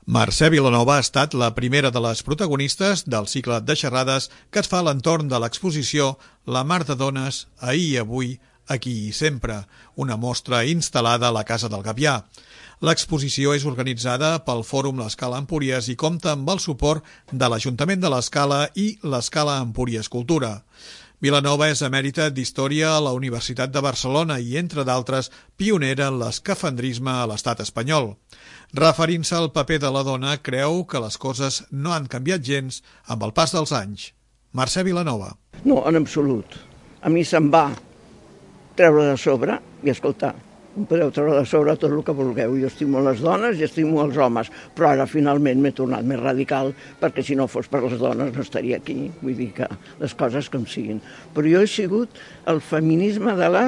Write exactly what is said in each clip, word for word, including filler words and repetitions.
Mercè Vilanova ha estat la primera de les protagonistes del cicle de xerrades que es fa a l'entorn de l'exposició La Mar de Dones, ahir i avui, aquí i sempre, una mostra instal·lada a la Casa del Gavià. L'exposició és organitzada pel Fòrum L'Escala Empúries i compta amb el suport de l'Ajuntament de l'Escala i l'Escala Empúries Cultura. Vilanova és emèrita d'Història a la Universitat de Barcelona i, entre d'altres, pionera en l'escafandrisme a l'estat espanyol. Referint-se al paper de la dona, creu que les coses no han canviat gens amb el pas dels anys. Mercè Vilanova. No, en absolut. A mi se'm va treure de sobre i, escolta, em podeu treure de sobre tot el que vulgueu. Jo estimo les dones i estimo els homes, però ara finalment m'he tornat més radical perquè si no fos per les dones no estaria aquí. Vull dir que les coses com siguin. Però jo he sigut el feminisme de la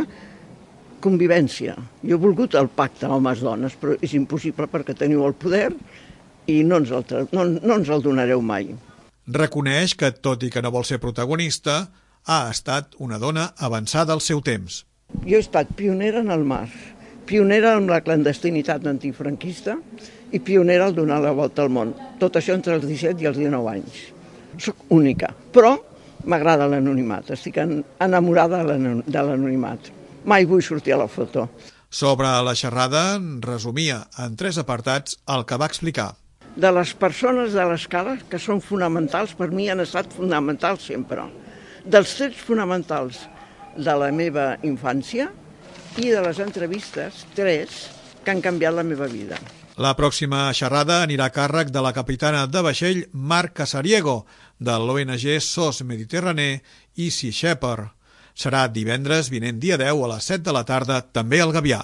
convivència. Jo he volgut el pacte homes-dones, però és impossible perquè teniu el poder i no ens el, no, no ens el donareu mai. Reconeix que, tot i que no vol ser protagonista, ha estat una dona avançada al seu temps. Jo he estat pionera en el mar, pionera en la clandestinitat antifranquista i pionera al donar la volta al món. Tot això entre els disset i els dinou anys. Soc única, però m'agrada l'anonimat, estic enamorada de l'anonimat. Mai vull sortir a la foto. Sobre la xerrada, resumia en tres apartats el que va explicar. De les persones de l'escala, que són fonamentals, per mi han estat fonamentals sempre. Dels trets fonamentals de la meva infància i de les entrevistes, tres, que han canviat la meva vida. La pròxima xerrada anirà a càrrec de la capitana de vaixell Marc Casariego, de l'O N G S O S Mediterranee i Sea Shepherd. Serà divendres vinent dia deu a les set de la tarda, també al Gavià.